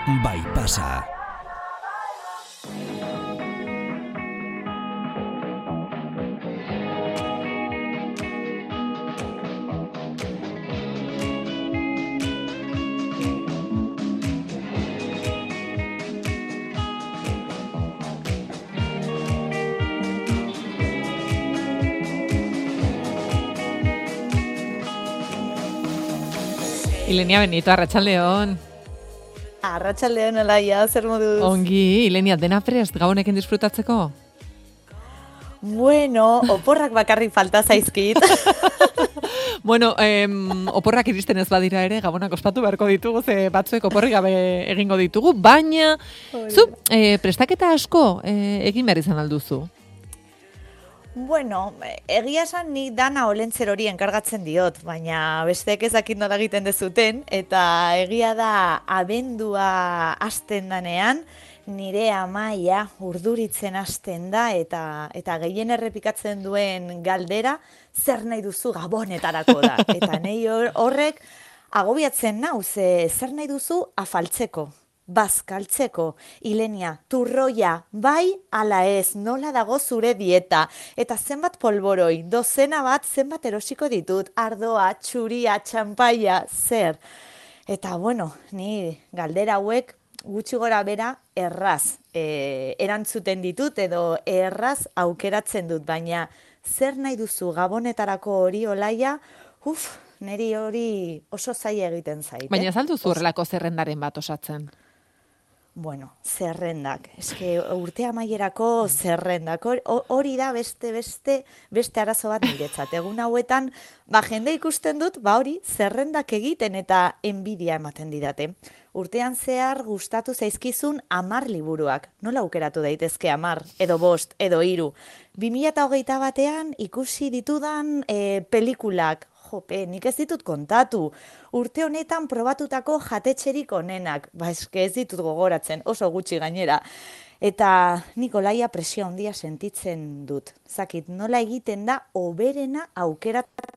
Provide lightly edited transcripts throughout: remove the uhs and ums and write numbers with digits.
Bai pasa. Ilenia Benito, arratsaldeon. Arratsaldeon Olaia, zer moduz? Ongi, Ilenia, dena prest gabonekin disfrutatzeko? Bueno, oporrak bakarrik falta zaizkit. Bueno, oporrak iristen ez badira ere, gabonak ospatu beharko ditugu, ze batzuek oporrik gabe egingo ditugu, baina zu prestaketa asko egin behar izan alduzu. Bueno, egia esan ni dana olentzer hori enkargatzen diot, baina besteek ezakit nola egiten dezuten, eta egia da abendua hasten danean, nire amaia urduritzen hasten da, eta gehien errepikatzen duen galdera, zer nahi duzu gabonetarako da. Eta nahi horrek agobiatzen nau, zer nahi duzu afaltzeko. Bazkaltzeko, Ilenia, turroia, bai ala ez, nola dago zure dieta, eta zenbat polboroi, dozena bat zenbat erosiko ditut, ardoa, txuria, txampaia, zer. Eta bueno, ni galdera hauek gutxi gora bera erraz erantzuten ditut edo erraz aukeratzen dut, baina zer nahi duzu gabonetarako hori Olaia, niri hori oso zaila egiten zait. Baina ez alduzu horrelako zerrendaren bat osatzen? Bueno, zerrendak. Eske urte amaierako zerrendak. Hori da beste arazo bat niretzat. Egun hauetan, jende ikusten dut, hori zerrendak egiten eta enbidia ematen didate. Urtean zehar gustatu zaizkizun 10 liburuak. Nola aukeratu daitezke 10, edo 5, edo 3. 2021 batean ikusi ditudan pelikulak. Jope, nik ez ditut kontatu. Urte honetan probatutako jatetxerik onenak. Eske ez ditut gogoratzen, oso gutxi gainera. Eta nik Olaia presio handia sentitzen dut. Zakit, nola egiten da hoberena aukeratzeko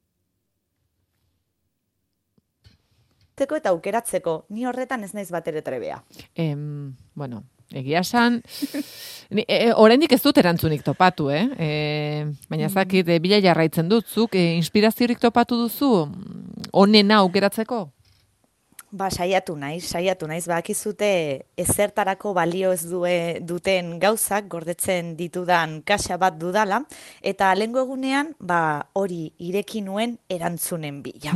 eta aukeratzeko. Ni horretan ez naiz batere trebea. Bueno, egia esan, oraindik ez dut erantzunik topatu, baina zakit, bila jarraitzen dut, zuk inspiraziorik topatu duzu, onena aukeratzeko? Saiatu naiz, bakizute ezertarako balio ez duten gauzak gordetzen ditudan kaxa bat dudala, eta lehengo egunean, hori ireki nuen erantzunen bila.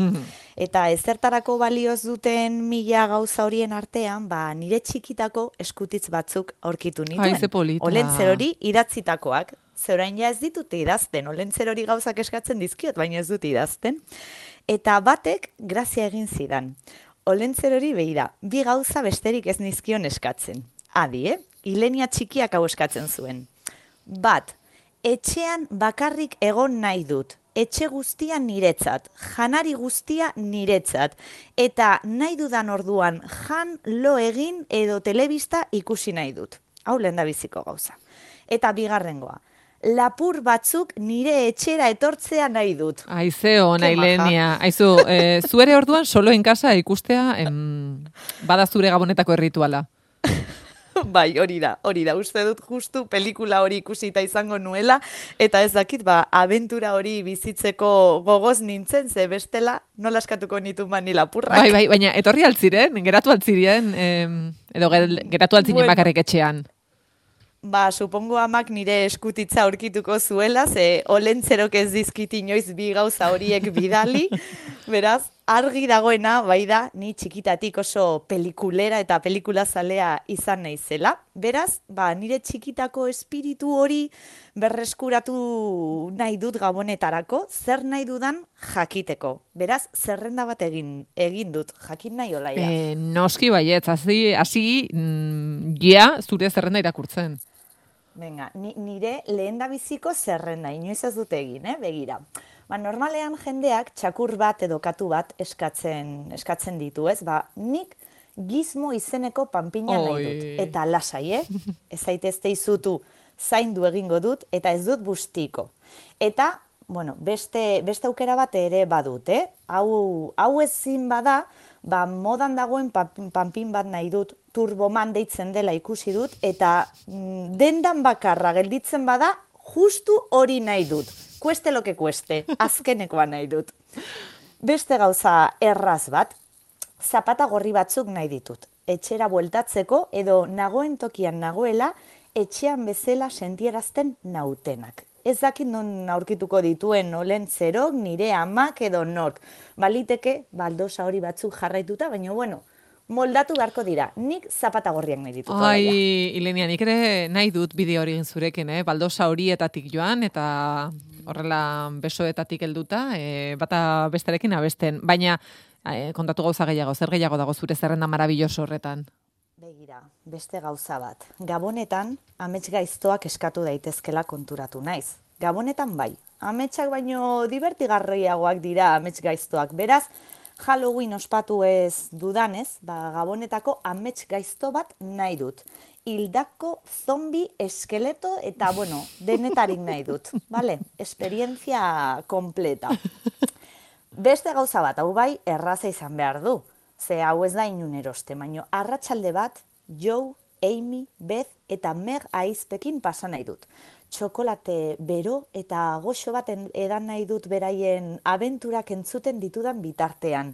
Eta ezertarako balio ez duten 1000 gauza horien artean, nire txikitako eskutitz batzuk aurkitu nituen. Ze polita. Olentzer hori idatzitakoak. Zerain ja ez ditut idazten, olentzer hori gauzak eskatzen dizkiot, baina ez dut idazten. Eta batek grazia egin zidan. Olentzer hori behira, 2 gauza besterik ez nizkion eskatzen. Adi, Ilenia txikiak hau eskatzen zuen. 1, etxean bakarrik egon nahi dut. Etxe guztia niretzat, janari guztia niretzat. Eta nahi dudan orduan jan, lo egin edo telebista ikusi nahi dut. Hau lehendabiziko gauza. Eta bigarrengoa. Lapur batzuk nire etxera etortzea nahi dut. Aize ona, Ilenia. Aizu, zuere orduan solo en casa ikustea bada zure gabonetako errituala. Bai, hori da. Uste dut justu pelikula hori ikusita izango nuela, eta ez dakit, abentura hori bizitzeko gogoz nintzen, ze bestela nola eskatuko nitu mani lapurrak. Bai, baina etorri altziren, geratu altziren, edo geratu altzinen bakarrik etxean. Supongo amak nire eskutitza aurkituko zuela, ze olentzerok ez dizkit inoiz 2 gauza horiek bidali, beraz, argi dagoena, bai da, ni txikitatik oso pelikulera eta pelikulazalea izan naizela. Beraz, nire txikitako espiritu hori berreskuratu nahi dut gabonetarako, zer nahi dudan jakiteko. Beraz, zerrenda bat egin dut, jakin nahi Olaia. Noski baietz, hasi zure zerrenda irakurtzen. Venga, nire lehendabiziko zerrenda, inoiz ez dut egin, begira. Normalean jendeak txakur bat edo katu bat eskatzen ditu, ez? Nik gizmo izeneko panpina nahi dut. Eta lasai, ez zaitezte izutu zaindu egingo dut, eta ez dut bustiko. Eta, beste aukera bat ere badut, Hau ezin bada, modan dagoen panpin bat nahi dut, Turboman deitzen dela ikusi dut, eta dendan bakarra gelditzen bada, justu hori nahi dut. Kueste lo que kueste, azkenekoa nahi dut. Beste gauza erraz bat, zapata gorri batzuk nahi ditut. Etxera bueltatzeko edo nagoen tokian nagoela, etxean bezala sentierazten nautenak. Ez dakit non aurkituko dituen olen zerok, nire amak edo nork. Baliteke, baldosa hori batzuk jarraituta, baina bueno, moldatu beharko dira. Nik zapata gorriak nahi ditut. Ai, Ilenia, nik ere nahi dut bideo hori egin zurekin, baldosa horietatik joan, eta horrela besoetatik helduta, bata bestarekin abesten. Baina, kontatu gauza gehiago, zer gehiago dago zure zerrenda marabilloso horretan? Begira, beste gauza bat. Gabonetan, amets gaiztoak eskatu daitezkela konturatu naiz. Gabonetan bai, ametsak baino divertigarriagoak dira amets gaiztoak. Beraz, Halloween ospatu ez dudanez, Gabonetako amets gaizto bat nahi dut. Hildako zombi, eskeleto eta, denetarik nahi dut. Vale? Esperientzia kompleta. Beste gauza bat, hau bai, erraza izan behar du. Ze hau ez da inun eroste, baino arratsalde bat, Joe, Amy, Beth eta Meg aizpekin pasa nahi dut. Txokolate bero eta goxo bat edan nahi dut beraien abenturak entzuten ditudan bitartean.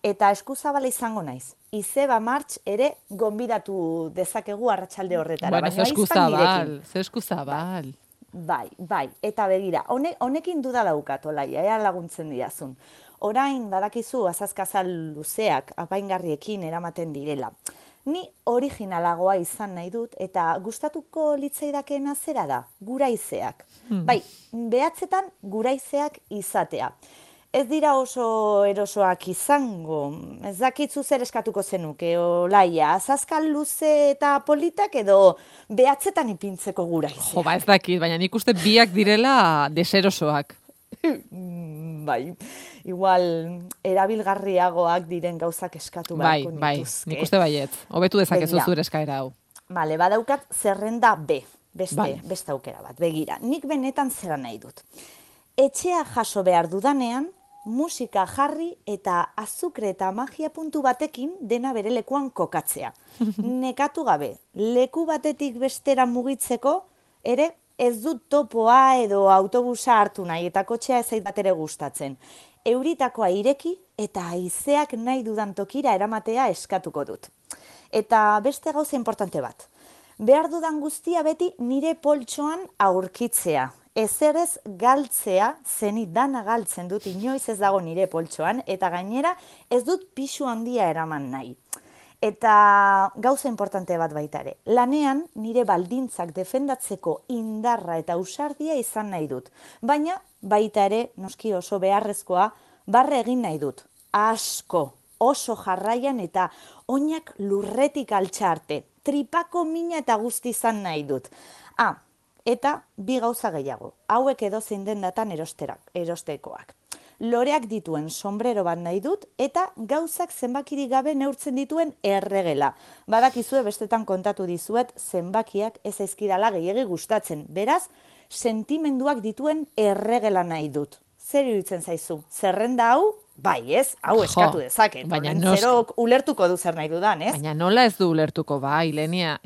Eta eskuzabala izango naiz. Izeba Martx ere gonbidatu dezakegu arratsalde horretara. Bueno, ze eskuzabal. Bai. Eta begira, honekin duda daukat, Olaia, ea laguntzen didazun. Orain, badakizu, azazkazal luzeak, apaingarriekin eramaten direla. Ni originalagoa izan nahi dut, eta gustatuko litzaidakena zera da, guraizeak. Bai, behatzetan guraizeak izatea. Ez dira oso erosoak izango, ez dakitzu zer eskatuko zenuke, Olaia, azazkal luze eta politak edo behatzetan ipintzeko guraizeak. Jo, ez dakit, baina nik uste biak direla deserosoak. Bai, igual erabilgarriagoak diren gauzak eskatu beharko nituzke. Nik uste baietz. Hobetu dezakezu zure eskaera hau. Bale, badaukat zerrenda B, beste aukera bat. Begira, nik benetan zera nahi dut. Etxea jaso behar dudanean, musika jarri eta azukre eta magia puntu batekin dena bere lekuan kokatzea. Nekatu gabe, leku batetik bestera mugitzeko, ere ez dut topoa edo autobusa hartu nahi eta kotxea ez zait bat ere gustatzen. Euritakoa ireki eta haizeak nahi dudan tokira eramatea eskatuko dut. Eta beste gauza importante bat. Behar dudan guztia beti nire poltsoan aurkitzea. Ezerez galtzea, zenit dana galtzen dut inoiz ez dago nire poltsoan, eta gainera ez dut pisu handia eraman nahi. Eta gauza importante bat baita ere, lanean nire baldintzak defendatzeko indarra eta ausardia izan nahi dut. Baina baita ere, noski oso beharrezkoa, barre egin nahi dut. Asko, oso jarraian eta oinak lurretik altxa arte. Tripako mina eta guzti izan nahi dut. Eta bi gauza gehiago, hauek edozein dendatan erostekoak. Loreak dituen sombrero bat nahi dut eta gauzak zenbakirik gabe neurtzen dituen erregela. Badakizue bestetan kontatu dizuet zenbakiak ez zaizkidala gehiegi gustatzen. Beraz, sentimenduak dituen erregela nahi dut. Zer iruditzen zaizu? Zerrenda hau? Bai, ez? Hau eskatu dezaket. Zerok ulertuko du zer nahi dudan, ez? Baina nola ez du ulertuko, Ilenia?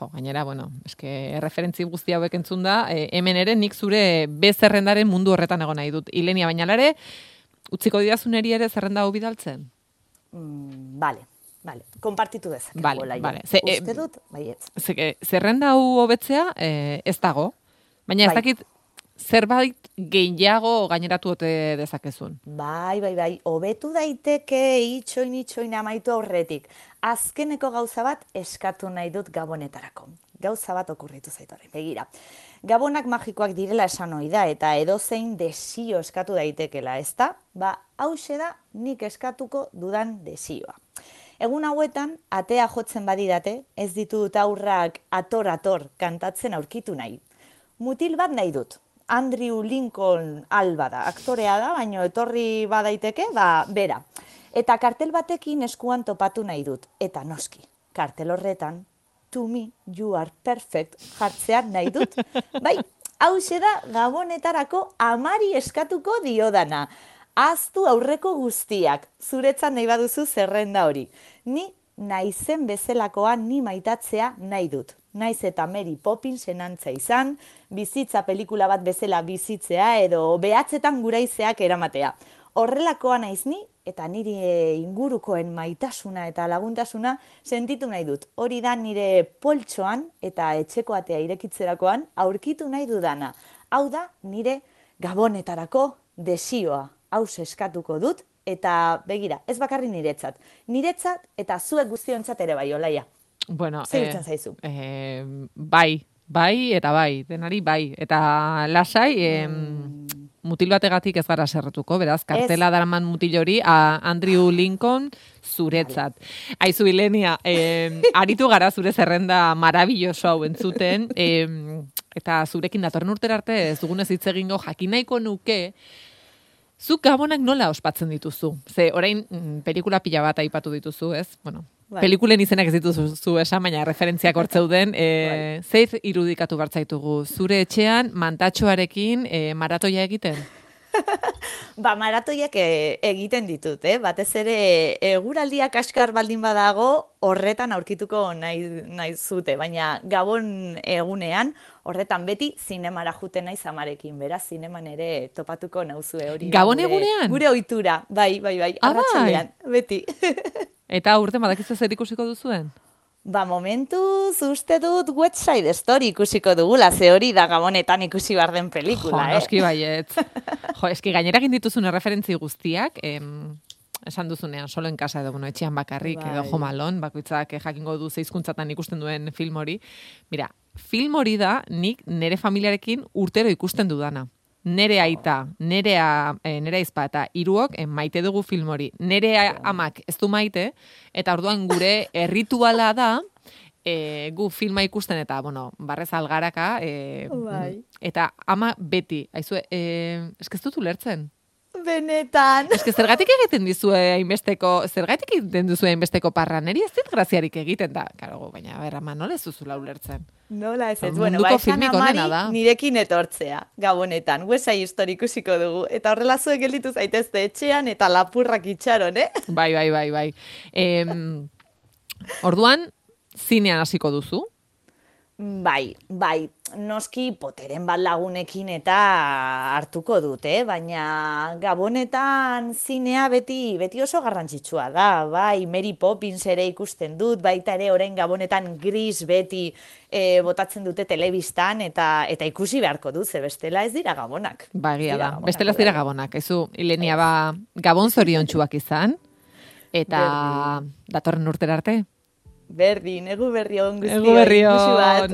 Gainera, eske referentzi guzti hauek entzun da, hemen ere nik zure zerrendaren mundu horretan egon nahi dut. Ilenia, baina lare, utziko didazuneri ere zerrenda hau bidaltzen? Bale, konpartitu dezakegu. Bale. Uste dut, baietz. Zerrenda hau hobetzea ez dago, baina ez dakit zerbait gehiago gaineratu ote dezakezun. Bai, hobetu daiteke itxoin amaitu aurretik. Azkeneko gauza bat eskatu nahi dut gabonetarako. Gauza bat okurritu zaitu horrein, begira. Gabonak magikoak direla esan ohi da eta edozein desio eskatu daitekela, ezta? Hauxe da nik eskatuko dudan desioa. Egun hauetan, atea jotzen badidate, ez ditut aurrak ator kantatzen aurkitu nahi. Mutil bat nahi dut. Andrew Lincoln Alba da, aktorea da, baina etorri badaiteke, bera. Eta kartel batekin eskuan topatu nahi dut. Eta noski, kartel horretan, to me, you are perfect, jartzean nahi dut. Bai, hauxe da gabonetarako amari eskatuko diodana. Ahaztu aurreko guztiak, zuretzat nahi baduzu zerrenda hori. Ni naizen bezalakoa ni maitatzea nahi dut. Naiz eta Mary Poppins enantza izan, bizitza pelikula bat bezala bizitzea edo behatzetan guraizeak eramatea. Horrelakoa naiz ni eta nire ingurukoen maitasuna eta laguntasuna sentitu nahi dut. Hori da nire poltsoan eta etxeko atea irekitzerakoan aurkitu nahi dudana. Hau da nire gabonetarako desioa. Hau eskatuko dut eta begira, ez bakarri niretzat. Niretzat eta zuek guztiontzat ere bai, Olaia. Bueno, zer iruditzen zaizu? Bai, eta bai, denari bai. Eta lasai, mutil bategatik ez gara serretuko, beraz, kartela daraman mutil hori, Andrew Lincoln zuretzat. Aizu, Ilenia, aritu gara zure zerrenda marabilloso hau entzuten, eta zurekin datorren urtera arte ez dugunez hitz egingo jakin nahiko nuke, zuk gabonak nola ospatzen dituzu? Ze, orain, pelikula pila bat aipatu dituzu, ez? Bueno, pelikulen izenak ez dituzu esan, baina referentziak hortzeuden. Zer irudikatu bartzaitugu? Zure etxean mantatxoarekin maratoia egiten? Maratoiak egiten ditut, batez ere eguraldiak askar baldin badago horretan aurkituko nahi zute, baina gabon egunean horretan beti zinemara juten naiz amarekin, beraz zineman ere topatuko nauzue hori. Gabon egunean? Gure ohitura, bai, arratsaldean, beti. Eta urte badakizu zer ikusiko duzuen? Momentuz uste dut West Side Story ikusiko dugula, ze hori da gabonetan ikusi behar den pelikula, noski baietz. Eski gainera egin dituzun referentzi guztiak, esan duzunean, solo en casa edo, etxean bakarrik, edo Home Alone, bakoitzak jakingo du zeizkuntzatan ikusten duen film hori. Mira, film hori da nik nire familiarekin urtero ikusten dudana. Nere aita, nere aizpa eta hiruok maite dugu film hori. Nere amak ez du maite, eta orduan gure errituala da, gu filma ikusten eta, barrez algaraka, eta ama beti, aizue, ez dut ulertzen. Benetan. Zergatik egiten dizue hainbesteko parra, neri ez dit graziarik egiten da. Karo, baina, ama, nola ez duzula ulertzen? Nola ez ez. Bueno, esan amari nirekin etortzea, gabonetan. West Side Story ikusiko dugu. Eta horrela zuek gelditu zaitezte etxean eta lapurrak itxaron, Bai. Orduan, zinean hasiko duzu? Bai, noski poteren bat lagunekin eta hartuko dut, baina gabonetan zinea beti oso garrantzitsua da, bai, Mary Poppins ere ikusten dut, baita ere orain gabonetan Gris beti botatzen dute telebistan eta ikusi beharko dut, ze bestela ez dira gabonak. Bagia da, bestela ez dira gabonak, ezu, Ilenia gabon zoriontsuak izan, eta datorren urtera arte. Berdin, egu berri on guztioi. Egu berri on.